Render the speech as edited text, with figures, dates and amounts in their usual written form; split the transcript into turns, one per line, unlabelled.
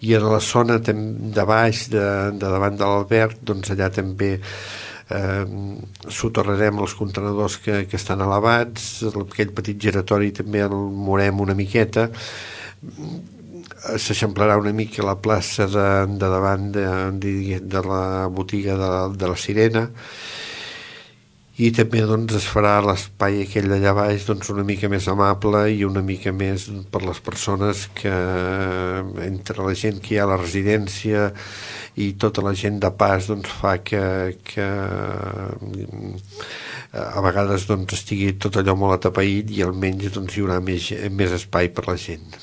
I a la zona de baix, de davant de l'alberg, doncs allà també soterrarem els contenidors que estan elevats, aquell petit giratori també el morem una miqueta, s'eixamplarà una mica la plaça de davant de la botiga de la Sirena, i també doncs es farà l'espai aquell d'allà baix doncs una mica més amable i una mica més per les persones que, entre la gent que hi ha a la residència i tota la gent de pas, doncs fa que a vegades doncs estigui tot allò molt atapeït i almenys doncs hi haurà més espai per la gent.